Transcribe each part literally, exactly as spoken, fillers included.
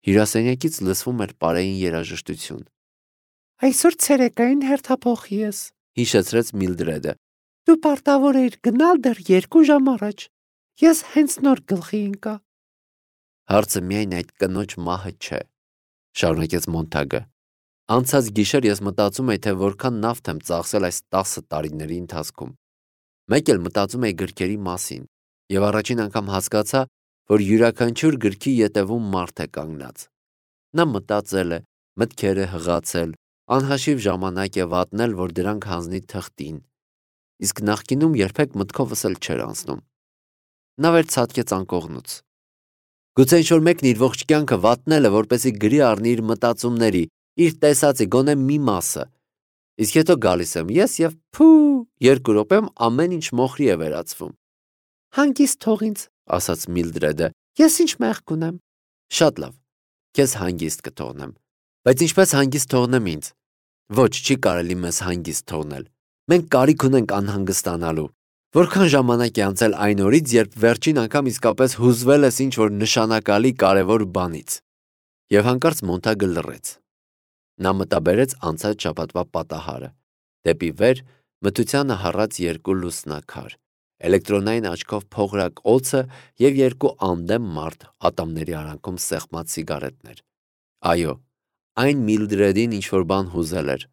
Հյուրասենյակից լսվում էր պարեին երաժշտություն։ Այսօր ցերեկային հերթափոխի ես, հիշեցրեց Միլդրեդը։ Դու պարտավոր էիր գնալ դեռ երկու ժամ առաջ։ Ես հենց նոր գլխի ընկա։ Հարցը միայն այդ կնոջ մահը չէ, շարունակեց Մոնթագը։ Անցած գիշեր ես մտածում էի, թե որքան նավթ եմ ծախսել այս տասը տարիների ընթացքում։ Մեկ էլ մտածում էի գրքերի մասին, եւ առաջին անգամ հասկացա, որ յուրաքանչյուր գրքի ետևում մարդ է կանգնած։ Նա մտածել է, մտքերը հղացել, անհաշիվ ժամանակ է վատնել, որ դրանք հանձնի թղթին, իսկ նախկինում երբեք մտքովս էլ չէր անցնում։ Նա վեր ցատկեց անկողնուց։ Գուցե ինչ-որ մեկն իր ողջ կյանքը վատնել է, որպեսզի գրի առնի իր մտածումների, իր տեսածի գոնե մի մասը, իսկ հետո գալիս եմ ես եւ փու, երկու րոպեում ամեն ինչ մոխրի է վերածվում։ Հանգիստ թող ինձ, ասաց Միլդրեդը։ Ես ինչ մեղք ունեմ։ Շատ լավ, քեզ հանգիստ կթողնեմ, բայց ինչպես հանգիստ թողնեմ ինձ։ Ոչ, չի կարելի մեզ հանգիստ թողնել։ Մենք կարիք ունենք անհանգստանալու։ Որքան ժամանակ է անցել այն օրից, երբ վերջին անգամ իսկապես հուզվել ես ինչ-որ նշանակալի կարևոր բանից։ Եվ հանկարծ Մոնթագը լռեց։ Նա մտաբերեց անցած շաբաթվա պատահարը։ Դեպի վեր մթությանը հառած երկու լուսնակար, էլեկտրոնային աչքով փողրակ օձը եւ երկու անդեմ մարդ ատամների արանքում սեղմած սիգարետներ։ Այո, այն Միլդրեդին ինչ-որ բան հուզել էր,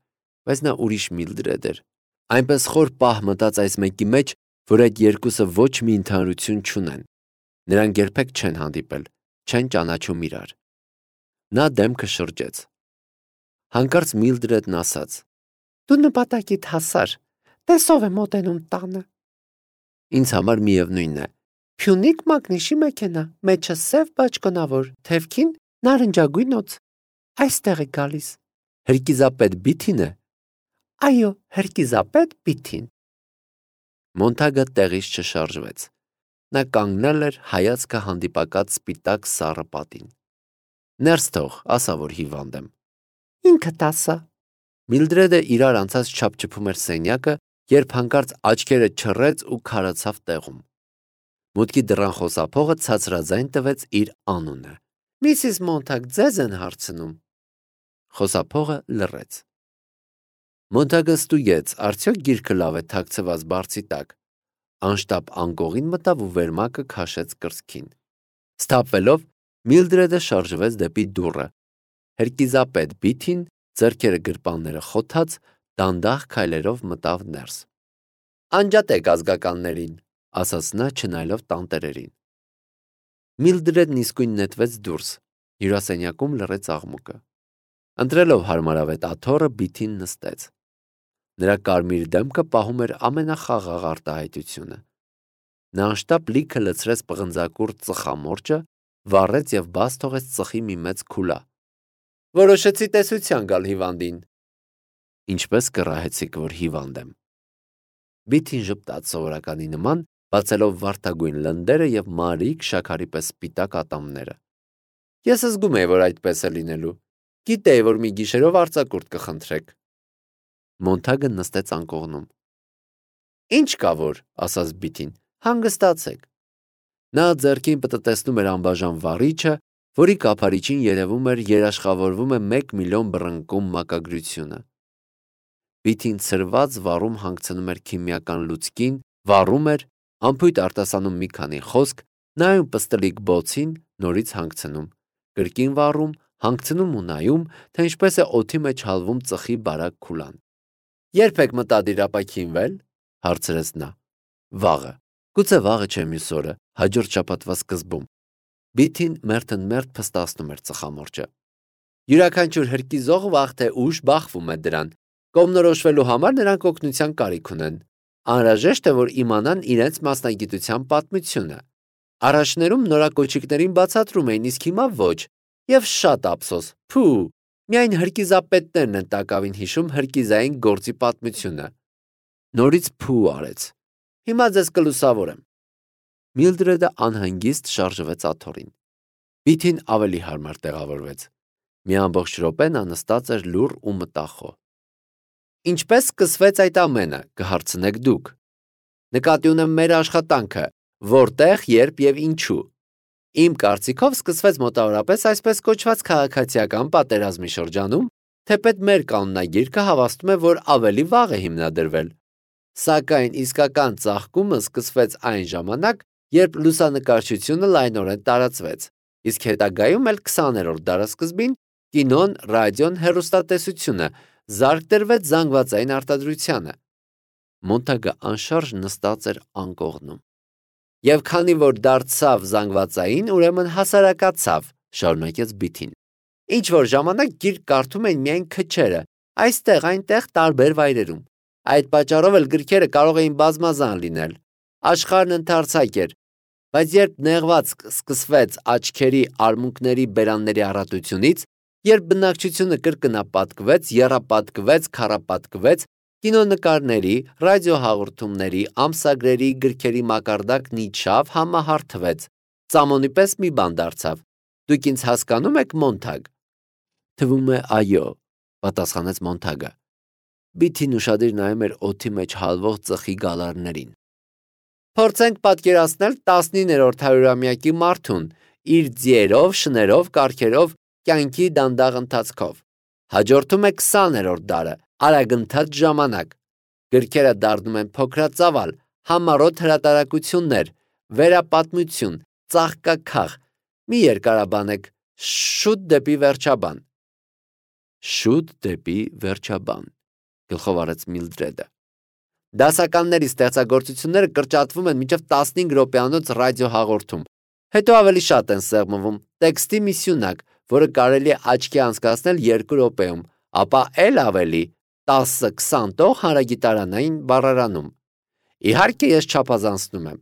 բայց նա ուրիշ Միլդրեդ էր։ Այնպես խոր պահ մտած այս մեկի մեջ, որ այդ երկուսը ոչ մի ընդհանրություն չունեն։ Նրանք երբեք չեն հանդիպել, չեն ճանաչում իրար։ Նա դեմքը շրջեց։ Հանկարծ Միլդրեդն ասաց. Դու նպատակիդ հասար, տեսով է մոտենում տանը։ Ինձ համար միևնույնն է։ Փյունիկ մագնիշի մեքենա, մեջը սև բաճկոնավոր, թևքին նարնջագույն օձ։ Այստեղ է գալիս։ Հրկիզապետ Բիթին է։ Այո, հրկիզապետ Բիթին։ Մոնթագը տեղից չշարժվեց։ Նա կանգնել էր հայացքը հանդիպակաց սպիտակ սառը պատին։ Ներս թող, ասա, որ հիվանդ եմ։ Ինքդ ասա։ Միլդրեդը իրար անցած չափչփում էր սենյակը, երբ հանկարծ աչքերը չռեց ու քարացավ տեղում։ Մուտքի դռան խոսափողը ցածրաձայն տվեց իր անունը։ Միսիս Մոնթագ ձեզ են հարցնում։ Խոսափողը լռեց։ Մոնթագը ստուգեց, արդյոք գիրքը լավ է թաքցված բարձի տակ։ Անշտապ անկողին մտավ ու վերմակը քաշեց կրծքին։ Սթափվելով, Միլդրեդը շարժվեց դեպի դուռը։ Հրկիզապետ Բիթին, ձեռքերը գրպանները խոթած, դանդաղ քայլերով մտավ ներս։ Անջատեք ազգականներին, ասաց նա չնայելով տանտերերին։ Միլդրեդն իսկույն նետվեց դուրս։ Հյուրասենյակում լռեց աղմուկը։ Ընտրելով հարմարավետ աթոռը Բիթին նստեց։ Նրա կարմիր դեմքը պահում էր ամենախաղաղ արտահայտությունը։ Նա անշտապ լիքը լցրեց պղնձակուռ ծխամորճը, վառեց եւ բաց թողեց ծխի մի մեծ քուլա։ Որոշեցի տեսության գալ հիվանդին։ Ինչպես կռահեցիք, որ հիվանդ եմ։ Բիթին ժպտաց սովորականի նման, բացելով վարդագույն լնդերը եւ մարիկ շաքարի պես սպիտակ ատամները։ Ես զգում եի, որ այդպես է լինելու։ Գիտեի, որ մի գիշերով արձակուրդ կխնդրեք։ Մոնթագը նստեց անկողնում։ Ինչ կա որ, ասաց Բիթին, հանգստացեք։ Նա ձեռքին պտտեցնում էր անբաժան վառիչը, որի կափարիչին երևում էր երաշխավորվում է մեկ միլիոն բռնկում մակագրությունը։ Բիթին ցրված վառում հանգցնում էր քիմիական լուծկին, վառում էր, ամփույթ արտասանում մի քանի խոսք, նայում պստլիկ բոցին, նորից հանգցնում, կրկին վառում, հանգցնում ու նայում, թե ինչպես է օդի մեջ հալվում ծխի բարակ քուլան։ Երբ եք մտադիր ապաքինվել, հարցրեց նա։ Վաղը։ Գուցե վաղը չէ մյուս օրը, հաջորդ շաբաթվա սկզբում։ Բիթին մերթըմերթ փստացնում էր ծխամորճը։ Յուրաքանչյուր հրկիզող վաղ թե ուշ բախվում է դրան։ Կողմնորոշվելու համար նրանք օգնության կարիք ունեն։ Անհրաժեշտ է, որ իմանան իրենց մասնագիտության պատմությունը։ Առաջներում նորակոչիկներին բացատրում էին, իսկ հիմա ոչ։ Եվ շատ ափսոս։ Փու, միայն հրկիզապետներն են տակավին հիշում հրկիզային գործի պատմությունը։ Նորից փու արեց։ Հիմա ձեզ կլուսավորեմ։ Միլդրեդը անհանգիստ շարժվեց աթոռին։ Բիթին ավելի հարմար տեղավորվեց։ Մի ամբողջ րոպե նա նստած էր լուռ ու մտախոհ։ Ինչպես սկսվեց այդ ամենը, կհարցնեք դուք։ Նկատի ունեմ մեր աշխատանքը, որտեղ, երբ եւ ինչու։ Իմ կարծիքով սկսվեց մոտավորապես այսպես կոչված քաղաքացիական պատերազմի շրջանում, թեպետ մեր կանոնագիրքը հավաստում է, որ ավելի վաղ է հիմնադրվել։ Սակայն իսկական ծաղկումը սկսվեց այն ժամանակ, երբ լուսանկարչությունը լայնորեն տարածվեց, իսկ հետագայում էլ քսաներորդ դարասկզբին կինոն, ռադիոն, հեռուստատեսությունը զարկ տրվեց զանգվածային արտադրությանը։ Մոնտագը անշարժ նստած էր անկողնում։ Եվ քանի որ դարձավ զանգվածային, ուրեմն հասարակացավ, շարունակեց Բիթին։ Ինչ որ ժամանակ գիրք կարդում էին միայն քչերը, այստեղ, այնտեղ տարբեր վայրերում։ Այդ պատճառով էլ գրքերը կարող էին բազմազան լինել։ Աշխարհն ընդարձակ էր, բայց երբ նեղված սկսվեց աչքերի, արմունկների, բերանների առատությունից, երբ բնակչությունը կրկնապատկվեց, եռապատկվեց, քառապատկվեց, կինոնկարների, ռադիոհաղորդումների, ամսագրերի, գրքերի մակարդակն իջավ, համահարթվեց, ծամոնի պես մի բան դարձավ։ Դուք ինձ հասկանում եք, Մոնտագ։ Թվում է այո, պատասխանեց Մոնտագը։ Բիթին ուշադիր նայում էր օդի մեջ հալվող ծխի գալարներին։ Փորձենք պատկերացնել տասնիններորդ հարյուրամյակի մարդուն իր ձիերով, շներով, կառքերով, կյանքի դանդաղ ընթացքով։ Հաջորդում է քսաներորդ դարը, արագընթաց ժամանակ։ Գրքերը դառնում են փոքրածավալ, համառոտ հրատարակություններ, վերապատմություն, ծաղկաքաղ։ Մի երկարաբանեք, շուտ դեպի վերջաբան։ Շուտ դեպի վերջաբան, գլխով արեց Միլդրեդը։ Դասականների ստեղծագործությունները կրճատվում են մինչև տասնհինգ րոպեանոց ռադիոհաղորդում, հետո ավելի շատ են սեղմվում, տեքստի մի սյունակ, որը կարելի է աչքի անցկացնել երկու րոպեում, ապա էլ ավելի տասը-քսան տող հանրագիտարանային բառարանում։ Իհարկե ես չափազանցնում եմ։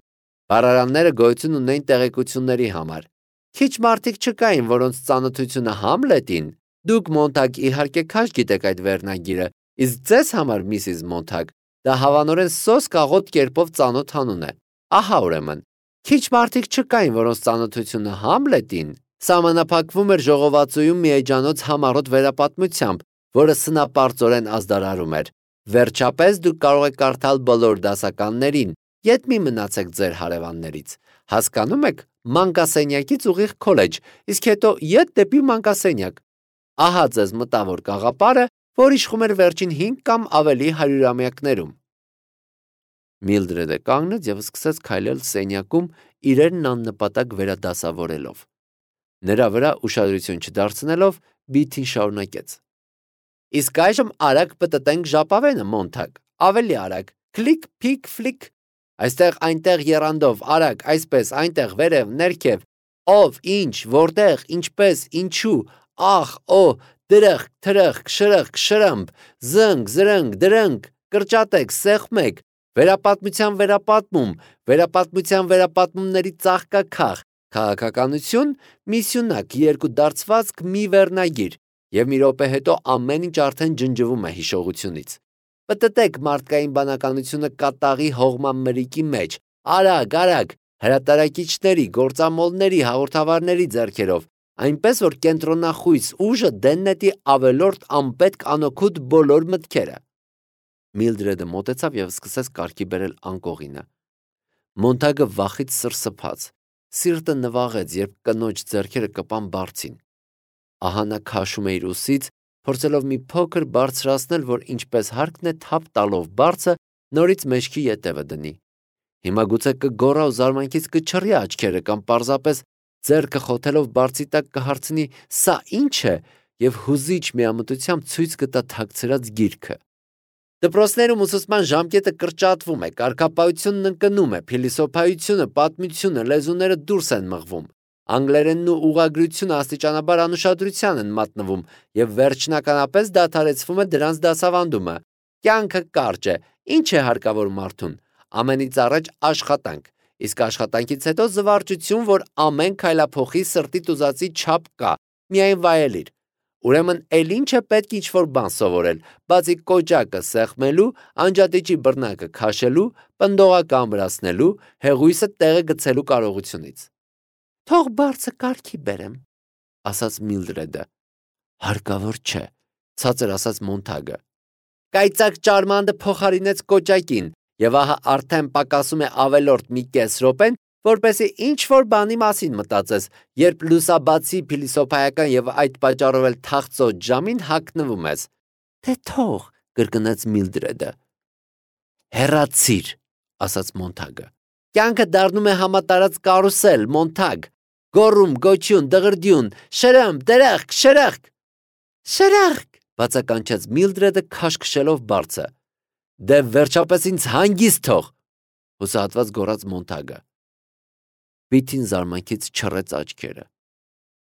Բառարանները գոյություն ունեն տեղեկությունների համար։ Քիչ մարդիկ չկային, որոնց ծանոթությունը Համլետին, դուք Մոնտագ իհարկե քաշ գիտեք այդ վերնագիրը, իսկ ձեզ համար, Միսիս Մոնտագ, դա հավանորեն սոսկ աղոտ կերպով ծանոթ անուն է։ Ահա ուրեմն, քիչ մարդիկ չկային, որոնց ծանոթությունը Համլետին սահմանափակվում էր ժողովածուում մի էջանոց համառոտ վերապատմությամբ, որը սնապարծորեն ազդարարում էր։ Վերջապես դուք կարող եք կարդալ բոլոր դասականներին, ետ մի մնացեք ձեր հարևաններից։ Հասկանում եք, մանկասենյակից ուղիղ քոլեջ, իսկ հետո ետ դեպի մանկասենյակ։ Ահա ձեզ մտավոր գաղափարը, որ իշխում էր վերջին հինգ կամ ավելի հարյուրամյակներում։ Միլդրեդը կանգնեց և սկսեց քայլել սենյակում, իրերն աննպատակ վերադասավորելով։ Նրա վրա ուշադրություն չդարձնելով, Բիթին շարունակեց. Իսկ այժմ արագ պտտենք ժապավենը, Մոնտագ, ավելի արագ, քլիկ, փիկ, ֆլիկ, այստեղ այնտեղ եռանդով, արագ, այսպես, այնտեղ վերև, ներքև, ով, ինչ, որտեղ, ինչպես, ինչու, ախ, օ, դրախ, թրախ, շրխ, շրմբ, զնգ, զրնգ, դրնգ, կրճատեք, սեղմեք, վերապատմության վերապատմում, վերապատմության վերապատմումների ծաղկաքաղ, քաղաքականություն, մի սյունակ, երկու դարձվածք, մի վերնագիր, և մի րոպե հետո ամեն ինչ արդեն ջնջվում է հիշողությունից։ Պտտեք մարդկային բանականությունը կատաղի հողմամրիկի մեջ, արագ, արագ, հրատարակիչների, գործամոլների, հաղորդավարների ձեռքերով, այնպես որ կենտրոնախույս ուժը դեն նետի ավելորդ անպետք անօգուտ բոլոր մտքերը։ Միլդրեդը մոտեցավ և սկսեց կարգի բերել անկողինը։ Մոնտագը վախից սրսփաց, սիրտը նվաղեց, երբ կնոջ ձեռքերը կպան բարձին։ Ահա նա քաշում է իր ուսից, փորձելով մի փոքր բարձրացնել, որ ինչպես հարկն է թափ տալով բարձը, նորից մեջքի ետևը դնի։ Հիմա գուցե կգոռա ու զարմանքից կչռի աչքերը կամ պարզապես ձեռքը խոթելով բարձի տակ կհարցնի «Սա ի՞նչ է» և հուզիչ միամտությամբ ցույց կտա թաքցրած գիրքը։ Դպրոցներում ուսուցման ժամկետը կրճատվում է, կարգապահությունն ընկնում է, փիլիսոփայությունը, պատմությունը, լեզուները դուրս են մղվում, անգլերենն ու ուղղագրությունը աստիճանաբար անուշադրության են մատնվում և վերջնականապես դադարեցվում է դրանց դասավանդումը։ Կյանքը կարճ է, ինչ է հարկավոր մարդուն։ Ամենից առաջ աշխատանք, իսկ աշխատանքից հետո զվարճություն, որ ամեն քայլափոխի սրտիդ ուզածի չափ կա, միայն վայելիր։ Ուրեմն էլ ինչ է պետք ինչ-որ բան սովորել, բացի կոճակը սեղմելու, անջատիչի բռնակը քաշելու, պնդողակը ամրացնելու, հեղույսը տեղը գցելու կարողությունից։ Թող բարձը կարգի բերեմ, ասաց Միլդրեդը։ Հարկավոր չէ, ցածր ասաց Մոնտագը։ Կայծակ ճարմանդը փոխարինեց կոճակին, և ահա արդեն պակասում է ավելորդ մի կես րոպեն, որպեսզի ինչ-որ բանի մասին մտածես, երբ լուսաբացի փիլիսոփայական եւ այդ պատճառով էլ թախծոտ ժամին հագնվում ես։ Դե թող, կրկնեց Միլդրեդը։ Հեռացիր, ասաց Մոնթագը։ Կյանքը դառնում է համատարած կարուսել, Մոնթագ։ Գոռում, գոչյուն, դղրդյուն, շրըմփ, դրախկ, շրախկ։ Շրախկ, բացականչեց Միլդրեդը քաշքշելով բարձը։ Դե վերջապես ինձ հանգիստ թող, հուսահատված գոռաց Մոնթագը։ Բիթին զարմանքից չռեց աչքերը։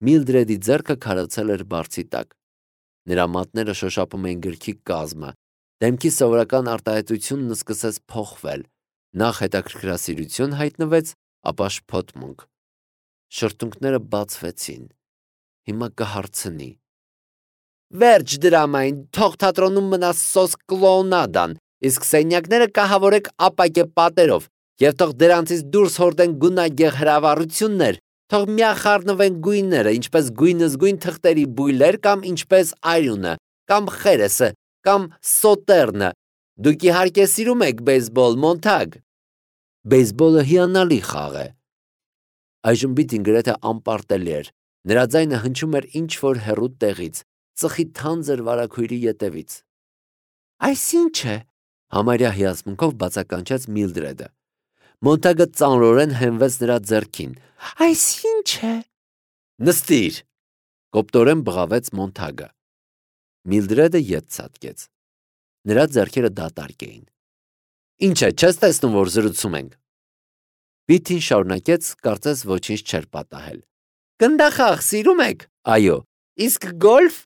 Միլդրեդի ձեռքը քարացել էր բարձի տակ։ Նրա մատները շոշափում էին գրքի կազմը։ Դեմքի սովորական արտահայտությունն սկսեց փոխվել։ Նախ հետաքրքրասիրություն հայտնվեց, ապա շփոթմունք։ Շրթունքները բացվեցին։ Հիմա կհարցնի։ Վերջ դրամային, թող թատրոնում մնա սոս կլոունադան, իսկ սենյակները կահավորեք ապակե պատերով, եւ թող դրանցից դուրս հորդեն գունագեղ հրավառություններ, թող միախառնվեն գույները, ինչպես գույնզգույն թղթերի բույլեր կամ ինչպես արյունը, կամ խերեսը, կամ սոտերնը։ Դուք իհարկե սիրում եք բեյսբոլ, Մոնթագ։ Բեյսբոլը հիանալի խաղ է։ Այժմ Բիթին գրեթե անպարտելի էր։ Նրա ձայնը հնչում էր ինչ-որ հեռու տեղից, ծխի թանձր վարագույրի ետևից։ Այսինչ է, համարյա հիացմունքով բացականչեց Միլդրեդը։ Մոնթագը ծանրորեն հենվեց նրա ձեռքին։ Այսինչ է։ Նստիր, կոպտորեն բղավեց Մոնթագը։ Միլդրեդը ետ ցատկեց։ Նրա ձեռքերը դատարկ էին։ Ինչ է, չես տեսնում, որ զրուցում ենք։ Բիթին շարունակեց, կարծես ոչինչ չէր պատահել։ Գնդախաղ սիրում եք։ Այո։ Իսկ գոլֆ։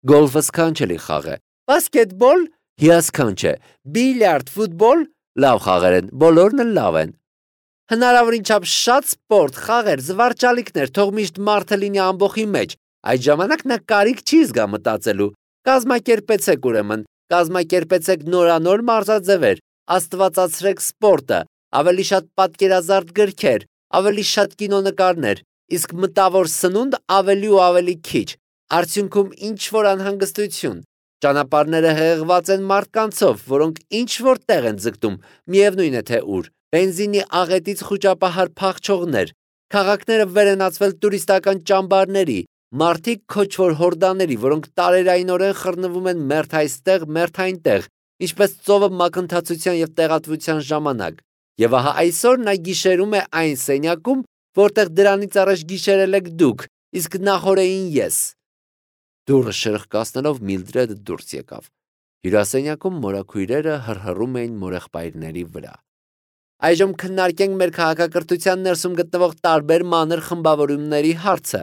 Գոլֆը սքանչելի խաղ է։ Բասկետբոլ հիասքանչ է։ Բիլիարդ, ֆուտբոլ լավ խաղեր են, բոլորն էլ լավ են։ Հնարավորին չափ շատ սպորտ, խաղեր, զվարճալիքներ, թող միշտ մարդը լինի ամբոխի մեջ։ Այդ ժամանակ նա կարիք չի զգա մտածելու։ Կազմակերպեցեք ուրեմն, կազմակերպեցեք նորանոր մարզաձևեր, աստվածացրեք սպորտը, ավելի շատ պատկերազարդ գրքեր, ավելի շատ կինոնկարներ, իսկ մտավոր սնունդ ավելի ու ավելի քիչ։ Արդյունքում ինչ-որ անհանգստություն։ Ճանապարհները հեղեղված են մարդկանցով, որոնք ինչ-որ տեղ են ձգտում, միևնույն է թե ուր։ Բենզինի աղետից խուճապահար փախչողներ, քաղաքները վերենացվել տուրիստական ճամբարների, մարդիկ քոչվոր հորդաների, որոնք տարերայինորեն խռնվում են մերթ այստեղ, մերթ այնտեղ, ինչպես ծովը մակընթացության եւ տեղատվության ժամանակ։ Եվ ահա այսօր նա գիշերում է այն սենյակում, որտեղ դրանից առաջ գիշերել եք դուք, իսկ նախորդին ես։ Դուռը շրխկացնելով Միլդրեդը դուրս եկավ։ Հյուրասենյակում մորաքույրերը հռհռում էին մորեղբայրների վրա։ Այժմ քննարկենք մեր քաղաքակրթության ներսում գտնվող տարբեր մանր խմբավորումների հարցը։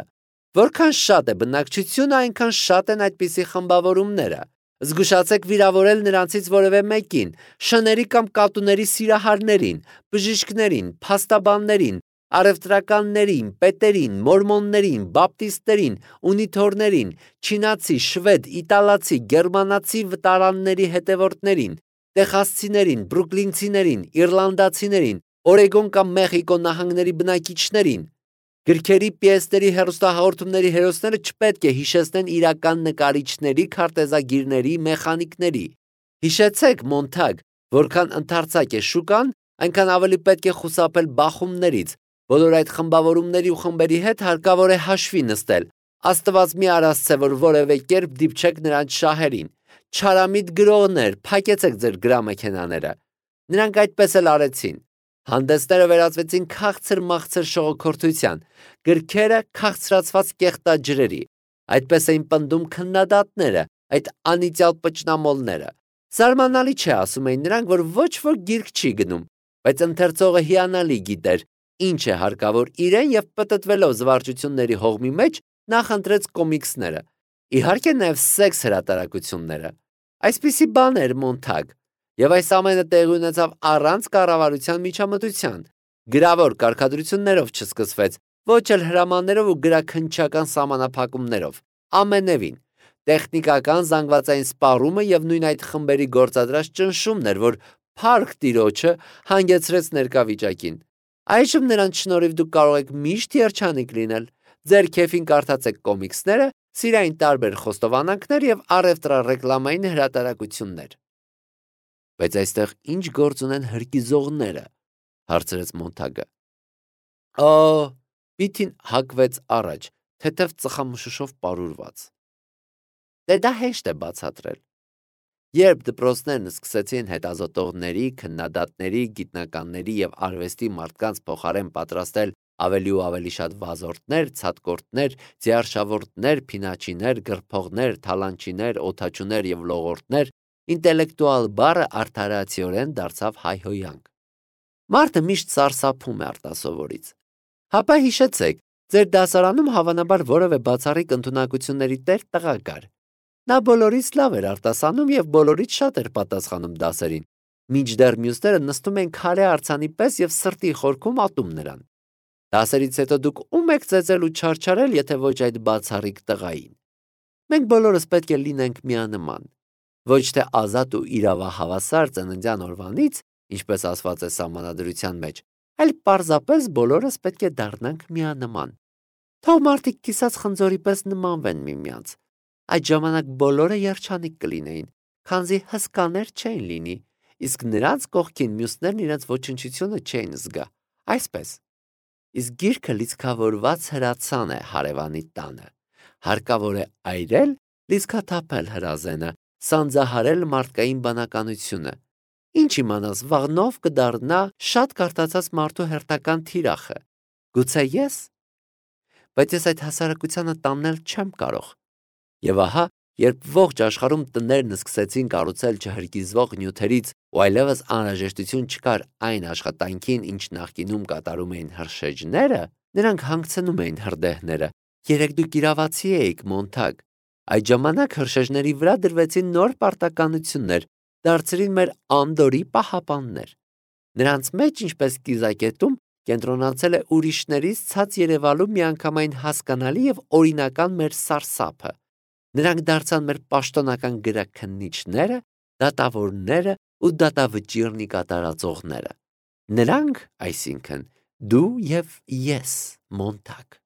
Որքան շատ է բնակչությունը, այնքան շատ են այդպիսի խմբավորումները։ Զգուշացեք վիրավորել նրանցից որևէ մեկին, շների կամ կատուների սիրահարներին, բժիշկներին, փաստաբաններին, առևտրականներին, պետերին, մորմոններին, բապտիստերին, ունիթորներին, չինացի, շվեդ, իտալացի, գերմանացի վտարանների հետևորդներին, տեխասցիներին, բրուկլինցիներին, իռլանդացիներին, Օրեգոն կամ Մեխիկո նահանգների բնակիչներին։ Գրքերի, պիեսների, հեռուստահաղորդումների հերոսները չպետք է հիշեցնեն իրական նկարիչների, քարտեզագիրների, մեխանիկների։ Հիշեցեք, Մոնթագ, որքան ընդարձակ է շուկան, այնքան ավելի պետք է խուսափել բախումներից։ Բոլոր այդ խմբավորումների ու խմբերի հետ հարկավոր է հաշվի նստել։ Աստված մի արասցե, որ որևէ կերպ դիպչեք նրանց շահերին։ Չարամիտ գրողներ, փակեցեք ձեր գրամեքենաները։ Նրանք այդպես էլ արեցին։ Հանդեսները վերածվեցին քաղցր-մաղցր շողոքորթության, գրքերը քաղցրացված կեղտաջրերի։ Այդպես էին պնդում քննադատները, այդ անիծյալ պճնամոլները։ Զարմանալի չէ, ասում էին նրանք, որ ոչ ոք գիրք չի գնում, բայց ընթերցողը հիանալի գիտեր, ինչ է հարկավոր իրեն եւ պտտվելով զվարճությունների հողմի մեջ նախընտրեց կոմիքսները։ Իհարկե նաև սեքս հրատարակությունները։ Այսպիսի բան էր Մոնթագ, եւ այս ամենը տեղի ունեցավ առանց կառավարության միջամտության։ Գրավոր կարգադրություններով չսկսվեց, ոչ էլ հրամաններով ու գրաքննչական սահմանափակումներով։ Ամենևին տեխնիկական զանգվածային սպառումը եւ նույն այդ խմբերի գործադրած ճնշումն էր, որ փառք Տիրոջը հանգեցրեց ներկա վիճակին։ Այժմ նրանց շնորհիվ դուք կարող եք միշտ երջանիկ լինել։ Ձեր քեֆին կարդացեք կոմիքսները, սիրային տարբեր խոստովանանքներ եւ առևտրառեկլամային հրատարակություններ։ Բայց այստեղ ինչ գործ ունեն հրկիզողները, հարցրեց Մոնթագը։ Ա, Բիթին հակվեց առաջ, թեթև ծխամշուշով պարուրված։ Դե դա հեշտ է բացատրել։ Երբ դպրոցներն սկսեցին հետազոտողների, քննադատների, գիտնականների եւ արվեստի մարդկանց փոխարեն պատրաստել ավելի ու ավելի շատ վազորդներ, ցատկորտներ, ձիարշավորդներ, փինաչիներ, գրփողներ, թալանչիներ, օդաչուներ եւ լողորդներ, ինտելեկտուալ բառը արդարացիորեն դարձավ հայհոյանք։ Մարդը միշտ սարսափում է արտասովորից։ Հապա հիշեցեք, ձեր դասարանում հավանաբար որևէ բացառիկ ընդունակությունների տեր տղա կար։ Նա բոլորից լավ էր արտասանում եւ բոլորից շատ էր պատասխանում դասերին։ Մինչդեռ մյուսները նստում են քարե արձանի պես եւ սրտի խորքում ատում նրան։ Դասերից հետո դուք ում եք ծեծել ու չարչարել, եթե ոչ այդ բացառիկ տղային։ Մենք բոլորս պետք է լինենք միանման։ Ոչ թե ազատ ու իրավահավասար ծննդյան օրվանից, ինչպես ասված է սահմանադրության մեջ, այլ պարզապես բոլորս պետք է դառնանք միանման։ Թող մարդիկ կիսած խնձորի պես նմանվեն միմյանց։ Այդ ժամանակ բոլորը երջանիկ կլինեին, քանզի հսկաներ չէին լինի, իսկ նրանց կողքին մյուսներն իրենց ոչնչությունը չէին զգա, այսպես։ Իսկ գիրքը լիցքավորված հրացան է հարևանի տանը, հարկավոր է այրել, լիցքաթափել հրազենը, սանձահարել մարդկային բանականությունը, ինչ իմանաս վաղնով կդառնա շատ կարդացած մարդու հերթական թիրախը, գուցե ես, բայց ես այդ հասարակությանը տանել չեմ կարող։ Եվ ահա, երբ ողջ աշխարհում տներն սկսեցին կառուցել չհրկիզվող նյութերից ու այլևս անհրաժեշտություն չկար այն աշխատանքին, ինչ նախկինում կատարում էին հրշեջները, նրանք հանգցնում էին հրդեհները։ Երեք դուք իրավացի էիք, Մոնթագ։ Այդ ժամանակ հրշեջների վրա դրվեցին նոր պարտականություններ, դարձրին մեր անդորի պահապաններ։ Նրանց մեջ, ինչպես կիզակետում, կենտրոնացել է ուրիշներից ցած երևալու միանգամայն հասկանալի եւ օրինական մեր սարսափը։ Նրանք դարձան մեր պաշտոնական գրաքննիչները, դատավորները ու դատավճիռնի կատարածողները։ Նրանք, այսինքն, դու եւ ես, Մոնթագ։